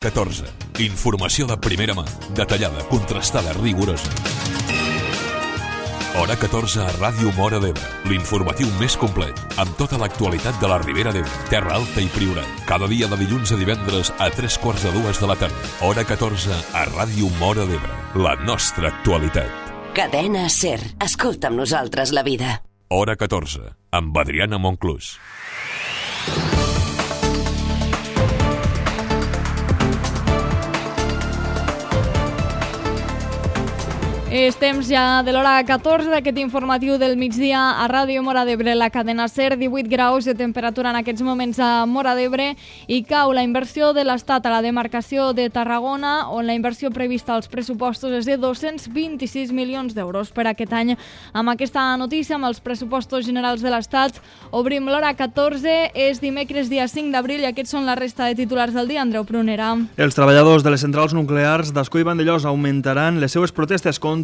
14. Informació de primera mà, detallada, contrastada, rigorosa. Hora 14 a Ràdio Móra d'Ebre, l'informatiu més complet, amb tota l'actualitat de la Ribera d'Ebre, Terra Alta i Priorat. Cada dia de dilluns a divendres a 3:45 de la tarda. Hora 14 a Ràdio Móra d'Ebre, la nostra actualitat. Cadena SER. Escolta amb nosaltres la vida. Hora 14, amb Adriana Monclús. És temps ja de l'hora 14 d'aquest informatiu del migdia a Ràdio Móra d'Ebre, la cadena SER, 18 graus de temperatura en aquests moments a Móra d'Ebre i cau la inversió de l'Estat a la demarcació de Tarragona, on la inversió prevista als pressupostos és de 226 milions d'euros per aquest any. Amb aquesta notícia, amb els pressupostos generals de l'Estat, obrim l'hora 14, és dimecres dia 5 d'abril i aquests són la resta de titulars del dia. Andreu Prunera. Els treballadors de les centrals nuclears d'Ascó i Vandellòs augmentaran les seues protestes contra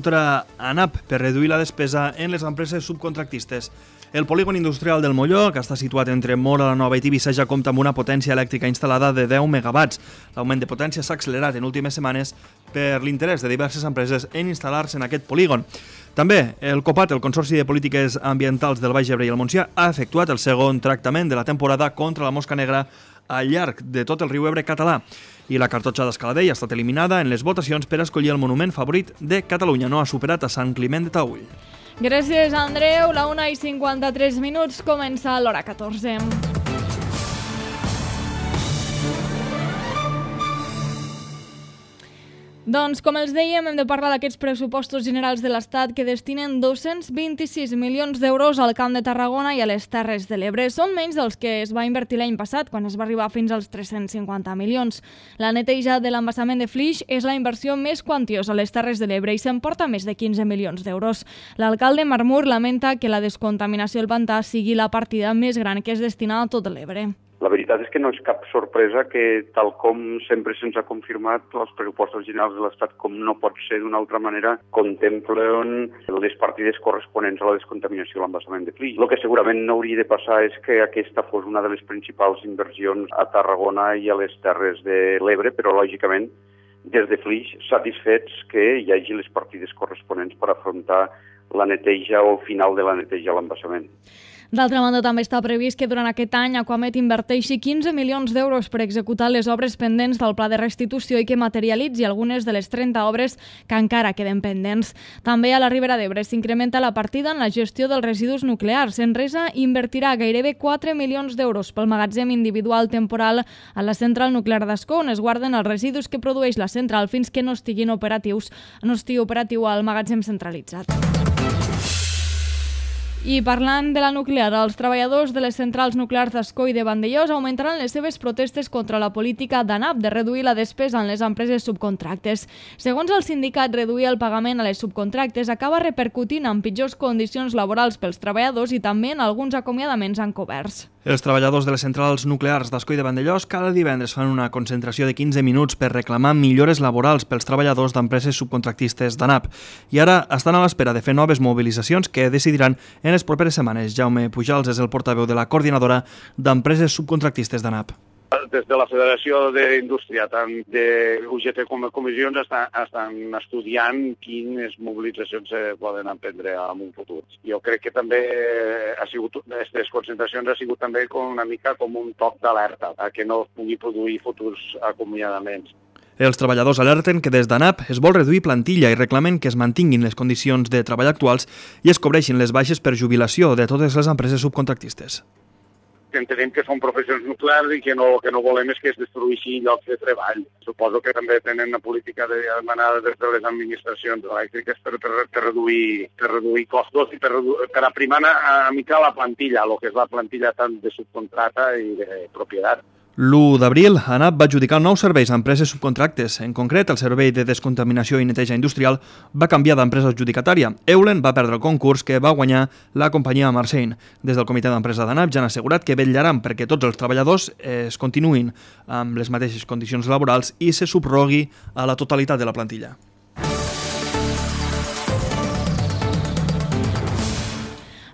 ANAP per reduir la despesa en les empreses subcontractistes. El polígon industrial del Molló, que està situat entre Móra la Nova i Tivissa, ja compta amb una potència elèctrica instal·lada de 10 megawatts. L'augment de potència s'ha accelerat en últimes setmanes per l'interès de diverses empreses en instal·lar-se en aquest polígon. També el COPAT, el Consorci de Polítiques Ambientals del Baix Ebre i el Montsià, ha efectuat el segon tractament de la temporada contra la mosca negra al llarg de tot el riu Ebre català. I la cartotxa d'Escaladell ha estat eliminada en les votacions per escollir el monument favorit de Catalunya. No ha superat a Sant Climent de Taüll. Gràcies, Andreu. La 1:53, comença l'hora 14. Doncs, com els dèiem, hem de parlar d'aquests pressupostos generals de l'Estat que destinen 226 milions d'euros al Camp de Tarragona i a les Terres de l'Ebre. Són menys dels que es va invertir l'any passat, quan es va arribar fins als 350 milions. La neteja de l'embassament de Flix és la inversió més quantiosa a les Terres de l'Ebre i s'emporta més de 15 milions d'euros. L'alcalde Marmur lamenta que la descontaminació del pantà sigui la partida més gran que es destina a tot l'Ebre. La veritat és que no és cap sorpresa que, tal com sempre se'ns ha confirmat, els pressupostos generals de l'Estat, com no pot ser d'una altra manera, contemplen les partides corresponents a la descontaminació de l'embassament de Flix. El que segurament no hauria de passar és que aquesta fos una de les principals inversions a Tarragona i a les Terres de l'Ebre, però, lògicament, des de Flix, satisfets que hi hagi les partides corresponents per afrontar la neteja o el final de la neteja a l'embassament. D'altra banda, també està previst que durant aquest any Aquamet inverteixi 15 milions d'euros per executar les obres pendents del pla de restitució i que materialitzi algunes de les 30 obres que encara queden pendents. També a la Ribera d'Ebre s'incrementa la partida en la gestió dels residus nuclears. Enresa invertirà gairebé 4 milions d'euros pel magatzem individual temporal a la central nuclear d'Ascó, on es guarden els residus que produeix la central fins que no estigui operatiu al magatzem centralitzat. I parlant de la nuclear, els treballadors de les centrals nuclears d'Ascó i de Vandellòs augmentaran les seves protestes contra la política d'ANAP de reduir la despesa en les empreses subcontractes. Segons el sindicat, reduir el pagament a les subcontractes acaba repercutint en pitjors condicions laborals pels treballadors i també en alguns acomiadaments encoberts. Els treballadors de les centrals nuclears d'Ascó i de Vandellòs cada divendres fan una concentració de 15 minuts per reclamar millores laborals pels treballadors d'empreses subcontractistes d'ANAP. I ara estan a l'espera de fer noves mobilitzacions que decidiran en les properes setmanes. Jaume Pujals és el portaveu de la coordinadora d'empreses subcontractistes d'ANAP. Des de la Federació d'Indústria, tant de UGT com de comissions, estan estudiant quines mobilitzacions se poden emprendre en un futur. Jo crec que també aquestes concentracions ha sigut també una mica com un toc d'alerta a que no es pugui produir futurs acomiadaments. Els treballadors alerten que des d'ANAP es vol reduir plantilla i reclamen que es mantinguin les condicions de treball actuals i es cobreixin les baixes per jubilació de totes les empreses subcontractistes. Entenem que són professions nuclears i que no volem és que es destrueixi llocs de treball. Suposo que també tenen una política demanada des de les administracions elèctriques per reduir costos i per aprimar una mica la plantilla, el que és la plantilla tant de subcontrata i de propietat. L'1 d'abril, ANAP va adjudicar nous serveis a empreses subcontractes. En concret, el servei de descontaminació i neteja industrial va canviar d'empresa adjudicatària. Eulen va perdre el concurs que va guanyar la companyia Marseille. Des del comitè d'empresa d'ANAP ja han assegurat que vetllaran perquè tots els treballadors es continuïn amb les mateixes condicions laborals i se subrogui a la totalitat de la plantilla.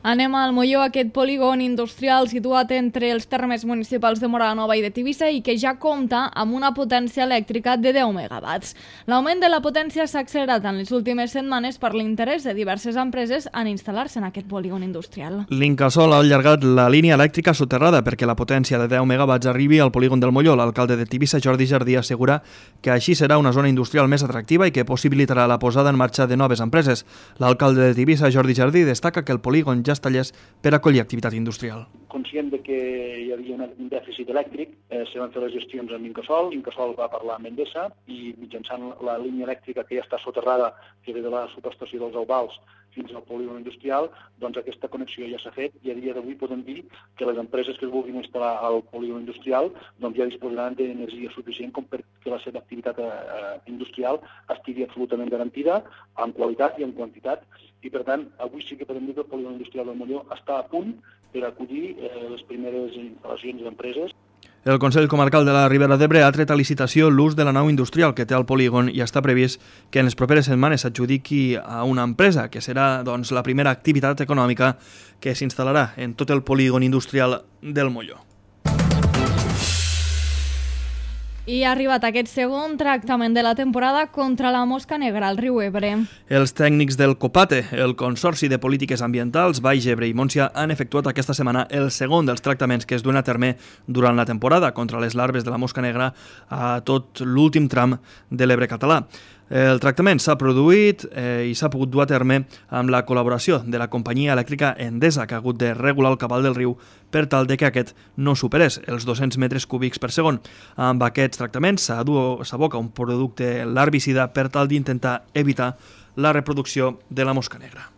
Anem al Molló, aquest polígon industrial situat entre els termes municipals de Móra la Nova i de Tivissa i que ja compta amb una potència elèctrica de 10 megawatts. L'augment de la potència s'ha accelerat en les últimes setmanes per l'interès de diverses empreses en instal·lar-se en aquest polígon industrial. L'Incasòl ha allargat la línia elèctrica soterrada perquè la potència de 10 megawatts arribi al polígon del Molló. L'alcalde de Tivissa, Jordi Jardí, assegura que així serà una zona industrial més atractiva i que possibilitarà la posada en marxa de noves empreses. L'alcalde de Tivissa, Jordi Jardí, destaca que el polígon ja està llest per acollir activitat industrial. Conscient de que hi havia un dèficit elèctric, se van fer les gestions amb Incasòl. Incasòl va parlar amb Endesa i mitjançant la línia elèctrica que ja està soterrada, que ve de la subestació dels Albals fins al polígon industrial, doncs aquesta connexió ja s'ha fet i a dia d'avui podem dir que les empreses que es vulguin instal·lar al polígon industrial doncs ja disposaran d'energia suficient com perquè la seva activitat industrial estigui absolutament garantida en qualitat i en quantitat. I, per tant, avui sí que podem dir que el polígon industrial del Molló està a punt per acollir les primeres instal·lacions d'empreses. El Consell Comarcal de la Ribera d'Ebre ha tret a licitació l'ús de la nau industrial que té al polígon i està previst que en les properes setmanes s'adjudiqui a una empresa, que serà doncs, la primera activitat econòmica que s'instal·larà en tot el polígon industrial del Molló. I ha arribat aquest segon tractament de la temporada contra la mosca negra al riu Ebre. Els tècnics del COPATE, el Consorci de Polítiques Ambientals, Baix Ebre i Montsià, han efectuat aquesta setmana el segon dels tractaments que es duen a terme durant la temporada contra les larves de la mosca negra a tot l'últim tram de l'Ebre català. El tractament s'ha produït i s'ha pogut dur a terme amb la col·laboració de la companyia elèctrica Endesa, que ha hagut de regular el cabal del riu per tal de que aquest no superés els 200 metres cúbics per segon. Amb aquests tractaments s'aboca un producte larvicida per tal d'intentar evitar la reproducció de la mosca negra.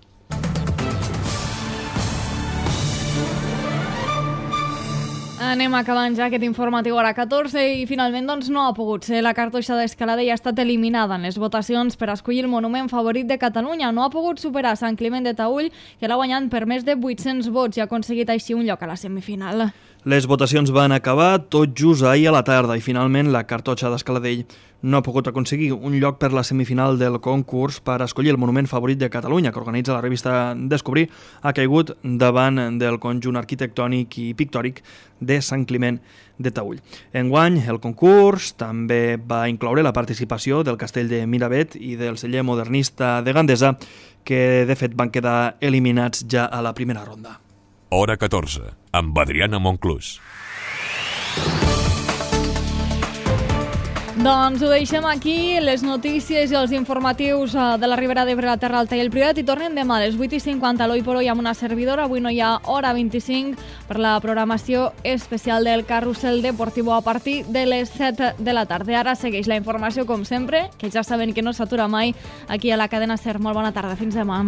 Anem acabant ja aquest informatiu hora 14 i finalment doncs, no ha pogut ser. La cartoixa d'Escalada ja ha estat eliminada en les votacions per escollir el monument favorit de Catalunya. No ha pogut superar Sant Climent de Taüll, que l'ha guanyat per més de 800 vots i ha aconseguit així un lloc a la semifinal. Les votacions van acabar tot just ahir a la tarda i finalment la cartoixa d'Escaladell no ha pogut aconseguir un lloc per la semifinal del concurs per escollir el monument favorit de Catalunya que organitza la revista Descobrir. Ha caigut davant del conjunt arquitectònic i pictòric de Sant Climent de Taüll. Enguany, el concurs també va incloure la participació del castell de Miravet i del celler modernista de Gandesa, que de fet van quedar eliminats ja a la primera ronda. Hora 14, amb Adriana Monclús. Doncs ho deixem aquí, les notícies i els informatius de la Ribera d'Ebre, la Terra Alta i el Priorat, i tornem demà a les 8:50 l'Oi por Hoy amb una servidora. Avui no hi ha hora 25 per la programació especial del Carrusel Deportivo a partir de les 7 de la tarda. Ara segueix la informació com sempre, que ja saben que no s'atura mai, aquí a la cadena SER. Molt bona tarda, fins demà.